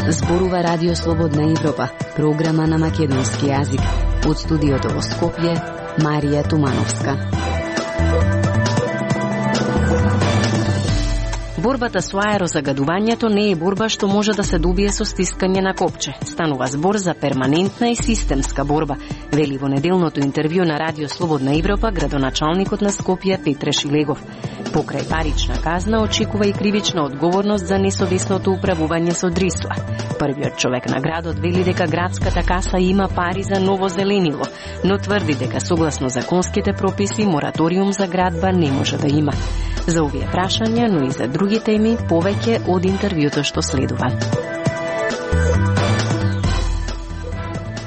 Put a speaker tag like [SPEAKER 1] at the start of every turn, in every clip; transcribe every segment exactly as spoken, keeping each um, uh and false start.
[SPEAKER 1] Зборува Радио Слободна Европа, програма на македонски јазик. Од студиото во Скопје, Марија Тумановска. Борбата со аерозагадувањето не е борба што може да се добие со стискање на копче. Станува збор за перманентна и системска борба, вели во неделното интервју на Радио Слободна Европа градоначалникот на Скопје Петре Шилегов. Покрај парична казна очекува и кривична одговорност за несовесното управување со дрисла. Првиот човек на градот вели дека градската каса има пари за ново зеленило, но тврди дека согласно законските прописи мораториум за градба не може да има. За овие прашања, но и за други теми, повеќе од интервјуто што следува.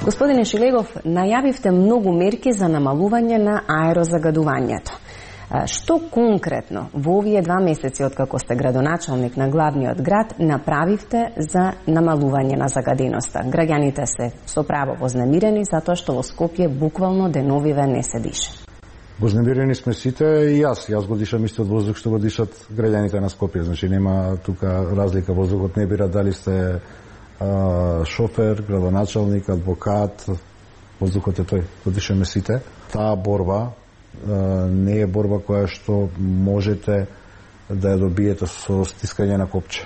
[SPEAKER 1] Господине Шилегов, најавивте многу мерки за намалување на аерозагадувањето. Што конкретно во овие два месеци откако сте градоначалник на главниот град направивте за намалување на загаденоста? Граѓаните се со право вознемирени затоа што во Скопје буквално деновиве не се дише.
[SPEAKER 2] Вознемирени сме сите и јас. Јас го дишам истиот воздух што го дишат граѓаните на Скопје. Значи нема тука разлика, воздухот не бира дали сте а, шофер, градоначалник, адвокат, воздухот е тој, го дишаме сите. Таа борба не е борба која што можете да ја добиете со стискање на копче.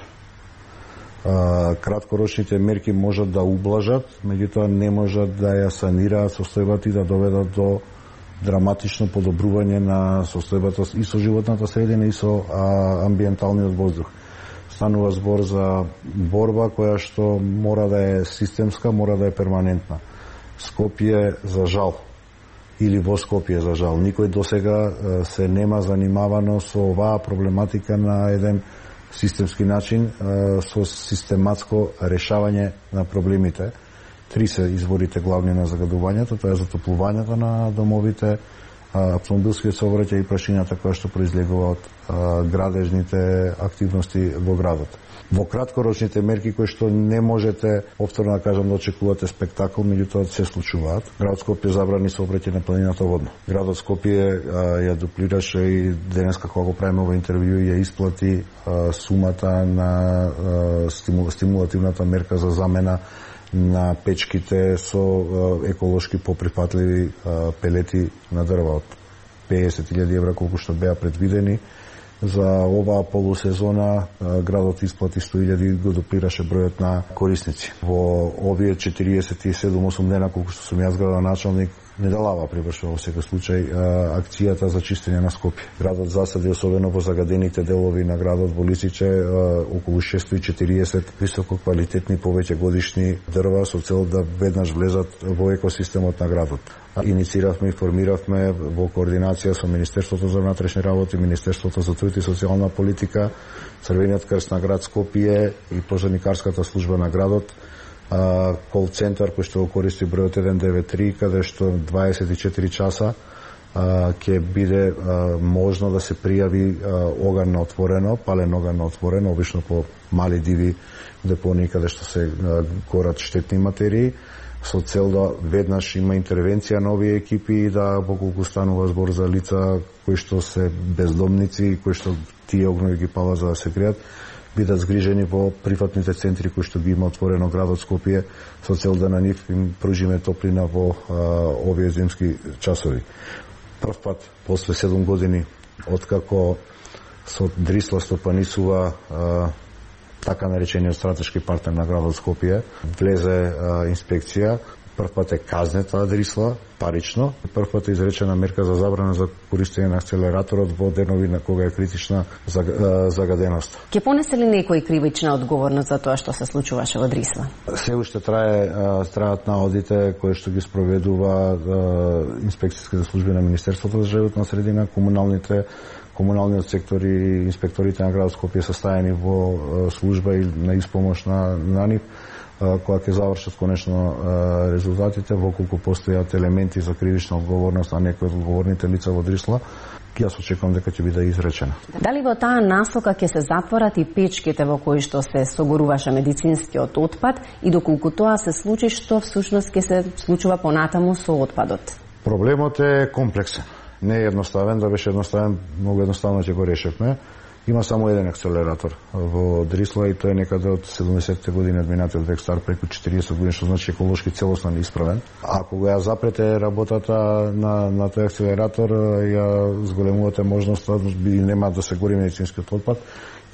[SPEAKER 2] Краткорочните мерки можат да ублажат, меѓутоа не можат да ја санираат состојбата и да доведат до драматично подобрување на состојбата и со животната средина и со а, амбиенталниот воздух. Станува збор за борба која што мора да е системска, мора да е перманентна. Скопје, за жал, или во Скопје, за жал, никој досега се нема занимавано со оваа проблематика на еден системски начин, со систематско решавање на проблемите. Три се изворите главни на загадувањето, тоа е затоплувањето на домовите, автомобилскиот сообраќај и прашињата која што произлегува од градежните активности во градот. Во краткорочните мерки кои што не можете повторно да кажам да очекувате спектакл, меѓутоа се случуваат. Градот Скопје забрани сообраќај на планината водно. Градот Скопје ја дуплираше и денеска кога го правиме ова интервју ја исплати а, сумата на а, стимул, стимулативната мерка за замена на печките со а, еколошки поприфатливи а, пелети на дрва од песет илјади евра колку што беа предвидени. За оваа полусезона градот исплати сто илјади, го дуплираше бројот на корисници. Во овие четириесет и седум осум дена колку што сум јас градоначалник, недалава привршува во секој случај акцијата за чистење на Скопје. Градот засади, особено во загадените делови на градот во Лисиче, околу шестстотини и четириесет висококвалитетни повеќе годишни дрва со цел да веднаш влезат во екосистемот на градот. Иницииравме и формиравме во координација со Министерството за внатрешни работи, Министерството за труд и социјална политика, Црвениот крст на град Скопје и пожарникарската служба на градот, кол центар кој што го користи бројот еден девет три, каде што дваесет и четири часа ќе биде можно да се пријави оган на отворено, пален оган на отворено, обично по мали диви депонии каде што се горат штетни материи, со цел да веднаш има интервенција на овие екипи и да поколку станува збор за лица кои што се бездомници, кои што тие огнови ги палат за да се греат, бидат згрижени во прифатните центри кои што ги има отворено градот Скопје со цел да на нив им пружиме топлина во а, овие зимски часови. Прв пат после седум години откако со Дрисла стопанисува а, така наречениот стратешки партнер на градот Скопје, влезе а, инспекција. Прв пат е казнета Дрисла парично, прв пат е изречена мерка за забрана за користење на акселераторот во денови на кога е критична загаденост.
[SPEAKER 1] Ке понесе ли некој кривична одговорност за тоа што се случуваше во Дрисла?
[SPEAKER 2] Се уште трае траат наодите кои што ги спроведува инспекцијските служби на Министерството за животна средина, комуналните комуналниот сектор и инспекторите на градот Скопје се стаени во служба и на испомош на, на нив, кога ќе завршат конечно резултатите, воколку постојат елементи за кривична одговорност на некои од одговорните лица во Дрисла, јас очекувам дека ќе биде изречена.
[SPEAKER 1] Дали во таа насока ќе се затворат и печките во кои што се согоруваше медицинскиот отпад и доколку тоа се случи, што всушност ќе се случува понатаму со отпадот?
[SPEAKER 2] Проблемот е комплексен. не е едноставен, да беше едноставен, многу едноставно ќе го решевме. Има само еден акселератор во Дрисла и тој е некаде од седумдесетте години од минатиот век, стар преку четириесет години, што значи еколошки целосно неисправен. Ако го ја запрете работата на, на тој акселератор, ја зголемувате можноста, биде нема да се гори медицинскиот отпад,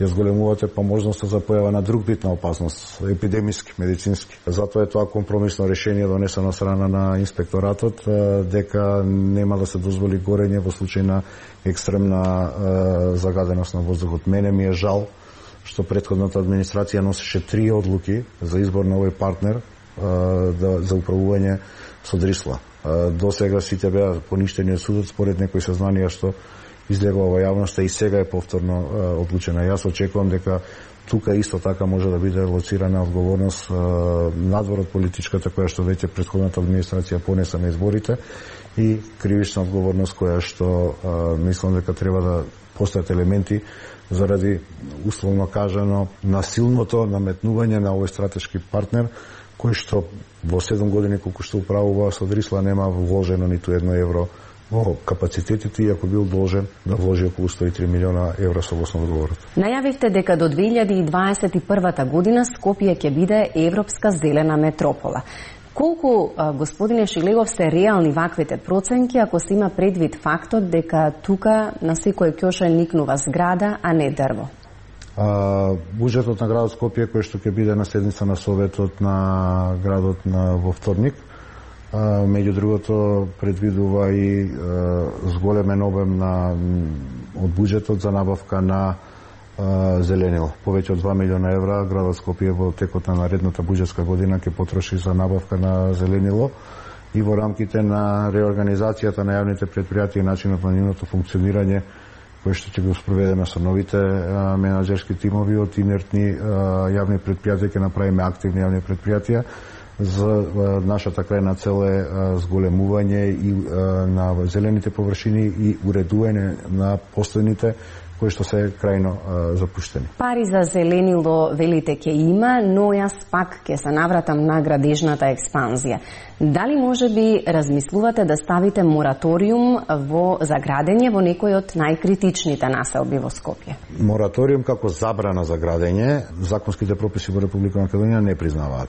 [SPEAKER 2] ја зголемувате па можноста за појава на друг вид на опасност, епидемиски, медицински. Затоа е тоа компромисно решение донесено од страна на инспекторатот, дека нема да се дозволи горење во случај на екстремна е, загаденост на воздухот. Мене ми е жал што претходната администрација носеше три одлуки за избор на овој партнер е, да, за управување со Дрисла. Е, до сега сите беа поништени од судот според некои сознанија што излегува во јавноста и сега е повторно е, одлучена. Јас очекувам дека тука исто така може да биде лоцирана одговорност е, надвор од политичката која што веќе претходната администрација понеса на изборите и кривична одговорност која што е, мислам дека треба да постојат елементи заради условно кажано насилното наметнување на овој стратешки партнер кој што во седум години колку што управува со Дрисла нема вложено ниту едно евро во капацитетите, иако бил должен да вложи околу сто и три милиона евра согласно договорот.
[SPEAKER 1] Најавивте дека до две илјади дваесет и прва година Скопје ќе биде европска зелена метропола. Колку, господине Шилегов, се реални ваквите проценки, ако се има предвид фактот дека тука на секој ќоша никнува зграда, а не дрво?
[SPEAKER 2] А, буџетот на градот Скопје, кој што ќе биде на седница на Советот на градот на во вторник, а, меѓу другото предвидува и а, зголемен обем на од буџетот за набавка на а, зеленило. Повеќе од два милиона евра градот Скопје во текот на наредната буџетска година ќе потроши за набавка на зеленило и во рамките на реорганизацијата на јавните претпријатија и начинот на нивното функционирање кој што ќе го спроведеме со новите а, менаџерски тимови од инертни а, јавни претпријатија, ќе направиме активни јавни претпријатија. За а, нашата крајна цел е а, зголемување и а, на зелените површини и уредување на постојните кои што се крајно а, запуштени.
[SPEAKER 1] Пари за зеленило велите ќе има, но јас пак ќе се навратам на градежната експанзија. Дали може би размислувате да ставите мораториум во заградење во некој од најкритичните населби во Скопје?
[SPEAKER 2] Мораториум како забрана за градење, законските прописи во Република Македонија не признаваат.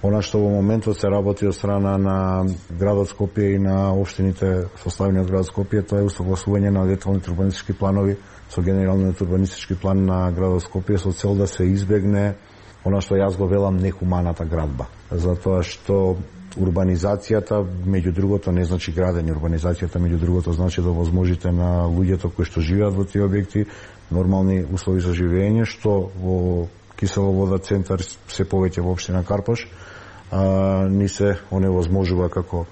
[SPEAKER 2] Она што во моментот се работи од страна на градот Скопје и на општините составени од градот Скопје, тоа е усогласување на деталните урбанистички планови со генералниот урбанистички план на градот Скопје со цел да се избегне она што јас го велам нехуманата градба. Затоа што урбанизацијата, меѓу другото, не значи градење. Урбанизацијата, меѓу другото, значи да возможите на луѓето кои што живеат во тие објекти нормални услови за живење, што во Киселовода центар се повеќе во општина Карпош а, ни се оневозможува како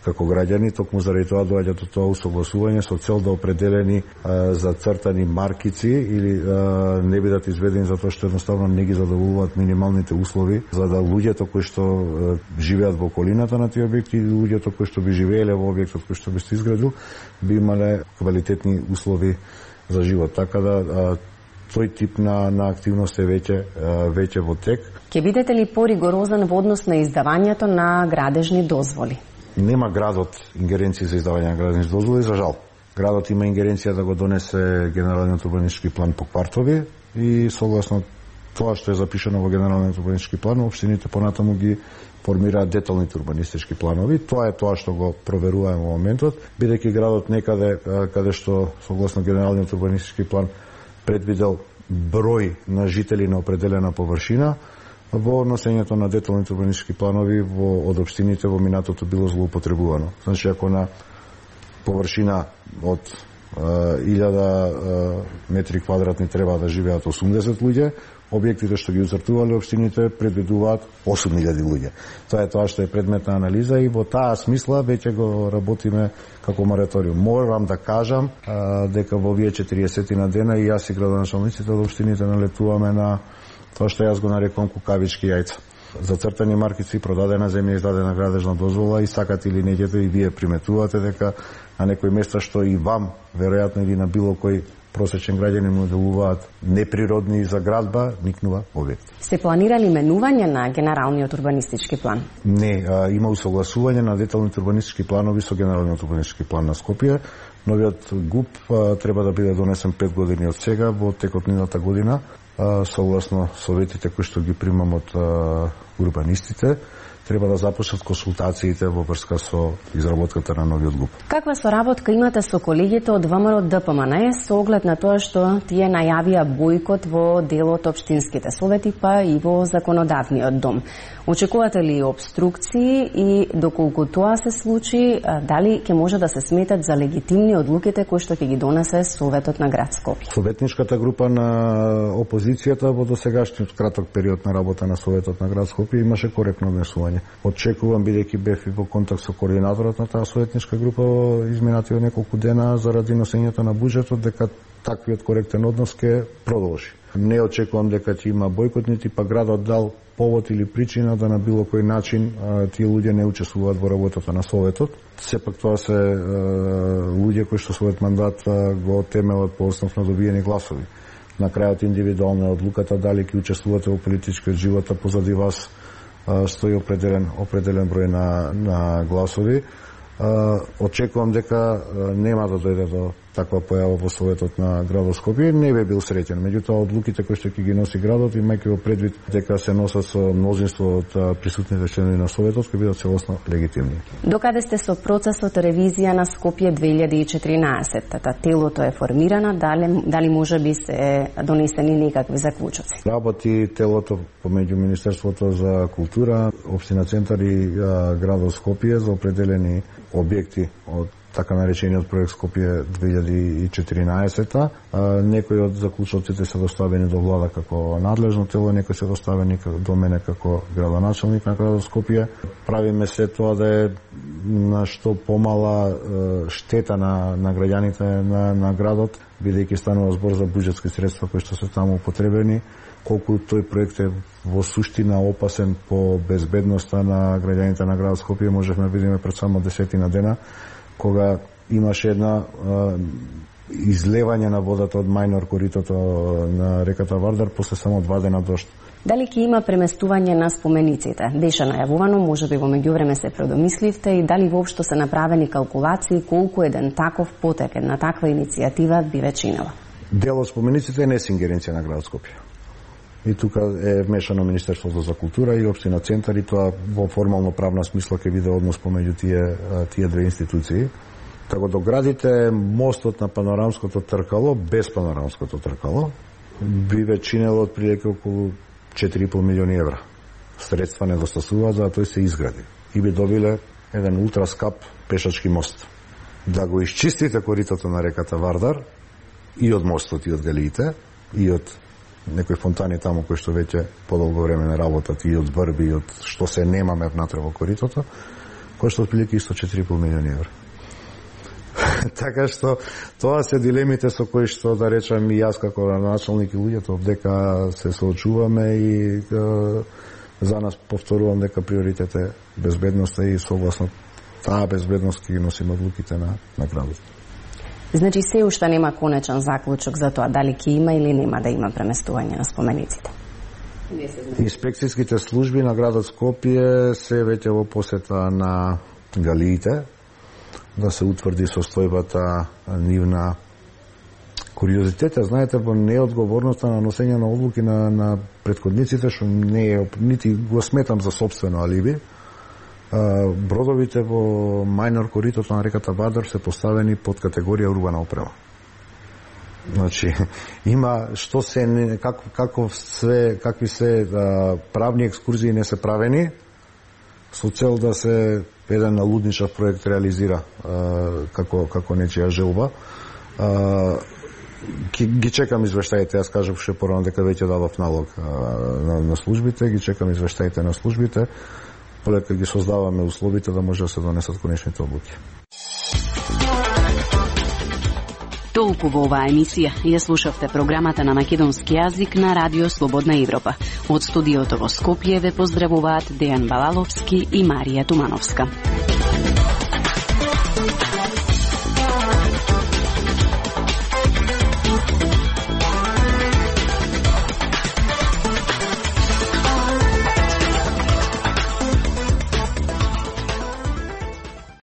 [SPEAKER 2] како граѓани, токму заради тоа доаѓа до тоа усогласување со цел да определени а, зацртани маркици или а, не бидат изведени затоа што едноставно не ги задоволуваат минималните услови за да луѓето кои што а, живеат во околината на тие објекти и луѓето кои што би живееле во објектот кој што би се изградил би имале квалитетни услови за живот. Така да а, тој тип на, на активност е веќе, веќе во тек.
[SPEAKER 1] Ке бидете ли поригорозен во однос на издавањето на градежни дозволи?
[SPEAKER 2] Нема градот ингеренции за издавање на градежни дозволи, за жал. Градот има ингеренција да го донесе генералниот урбанистички план по квартови и согласно тоа што е запишано во генералниот урбанистички план, општините понатаму ги формираат деталните урбанистички планови. Тоа е тоа што го проверуваме во моментот, бидејќи градот некаде каде што согласно генералниот урбанистички план предвидел број на жители на определена површина, во носењето на деталните урбанистички планови во, од општините во минатото било злоупотребувано. Значи, ако на површина од илјада метри квадратни треба да живеат осумдесет луѓе, објектите што ги уцртувале општините предвидуваат осум илјади луѓе. Тоа е тоа што е предмет на анализа и во таа смисла веќе го работиме како мораториум. Морам да кажам а, дека во овие четириесет на дена и јас и градоначалниците од општините налетуваме на тоа што јас го нарекувам кукавички јајца. Зацртани маркици, продадена земја, издадена градежна дозвола и сакате или неќете и вие приметувате дека на некои места што и вам, веројатно или на било кој просечен граѓанин му делуваат неприродни за градба, никнува објект.
[SPEAKER 1] Сте планирали менување на генералниот урбанистички план?
[SPEAKER 2] Не, а, има усогласување на деталните урбанистички планови со генералниот урбанистички план на Скопје. Новиот ГУП а, треба да биде донесен пет години од сега, во текот миналата година, а, согласно советите кои што ги примам од а, урбанистите. Треба да започнат консултациите во врска со изработката на новиот ГУП.
[SPEAKER 1] Каква соработка имате со колегите од ВМРО Д П М Н со оглед на тоа што тие најавија бојкот во дел од општинските совети, па и во законодавниот дом? Очекувате ли обструкции и доколку тоа се случи, дали ќе може да се сметат за легитимни одлуките кои што ќе ги донесе Советот на град Скопје?
[SPEAKER 2] Советничката група на опозицијата во досегашниот краток период на работа на Советот на град Скопје имаше коректно однесување. Очекувам, бидејќи бев и во контакт со координаторот на таа советничка група во изминативе неколку дена заради носењето на буџетот, дека таквиот коректен однос ќе продолжи. Не очекувам дека ќе има бојкот, нити па градот дал повод или причина да на било кој начин а, тие луѓе не учествуваат во работата на Советот. Сепак тоа се а, луѓе кои што својот мандат а, го темелат по основ на добиени гласови. На крајот индивидуална е одлуката дали ќе учествувате во политичкиот живот, а позади вас а, стои определен определен број на на гласови. А, очекувам дека а, нема да дојде до таква појава во Советот на градот Скопје. Не би бил среќен. Меѓутоа, одлуките кои што ќе ги носи градот, имајќи во предвид дека се носат со мнозинство од присутните членови на Советот, ќе бидат целосно легитимни.
[SPEAKER 1] Докаде сте со процесот ревизија на Скопје две илјади и четиринаесетта? Телото е формирано, дали, дали може би се донесени некакви заклучоци?
[SPEAKER 2] Работи телото помеѓу Министерството за култура, Општина Центар и градот Скопје за определени објекти од така наречениот проект Скопје две илјади и четиринаесетта. Некои од заклучоците се доставени до влада како надлежно тело, некои се доставени до мене како градоначелник на градот Скопје. Правиме се тоа да е на што помала штета на, на граѓаните на, на градот, бидејќи станува збор за буџетски средства кои што се таму употребени. Колку тој проект е во суштина опасен по безбедноста на граѓаните на градот Скопје, можевме да видиме пред само десетина дена, кога имаше една а, излевање на водата од мајнор коритото на реката Вардар после само два дена дожд.
[SPEAKER 1] Дали ќе има преместување на спомениците? Беше најавувано, може би во меѓувреме се предомисливте, и дали воопшто се направени калкулации колку еден таков потек, една таква иницијатива би ве чинела?
[SPEAKER 2] Дел од спомениците не е ингеренција на градот Скопје. И тука е вмешано Министерството за култура и Општина Центар, и тоа во формално правна смисла ќе биде однос помеѓу тие тие две институции. Така да градите мостот на панорамското тркало без панорамското тркало би ве чинело отприлike околу четири и пол милиони евра. Средства недостасуваат за да тој се изгради. И би добиле еден ултраскап пешачки мост. Да го исчистите коритото на реката Вардар и од мостот и од галиите и од некои фонтани таму кои што веќе подолго време не работат, и од збрби и од што се немаме внатре во коритото, кој што отприлike исто четири и пол милиони евра. Така што тоа се дилемите со кои што, да речам, и јас како началник и луѓето дека се соочуваме, и е, за нас повторувам дека приоритет е безбедноста, и согласно таа безбедност ќе ги носиме одлуките на, на градот.
[SPEAKER 1] Значи се уште нема конечен заклучок за тоа дали ќе има или нема да има преместување на спомениците?
[SPEAKER 2] Инспекцијските служби на градот Скопје се веќе во посета на галиите, да се утврди состојбата нивна. Куриозитетот, знаете, во неодговорноста на носење на одлуки на, на претходниците, што не е, нити го сметам за собствено алиби, бродовите во мајнор коритото на реката Вардар се поставени под категорија урбана опрема. Значи, има што се, как, каков се, какви се а, правни екскурзии не се правени, со цел да се еден налудничав проект реализира а, како, како нечија желба. А, ги чекам извештаите, јас кажав ше порано дека веќе дадов налог а, на, на службите, ги чекам извештаите на службите, полека ги создаваме условите да може да се донесат конечните одлуки.
[SPEAKER 1] Толку во оваа емисија. Ја слушавте програмата на македонски јазик на Радио Слободна Европа. Од студиото во Скопје ве поздравуваат Дејан Балаловски и Марија Тумановска.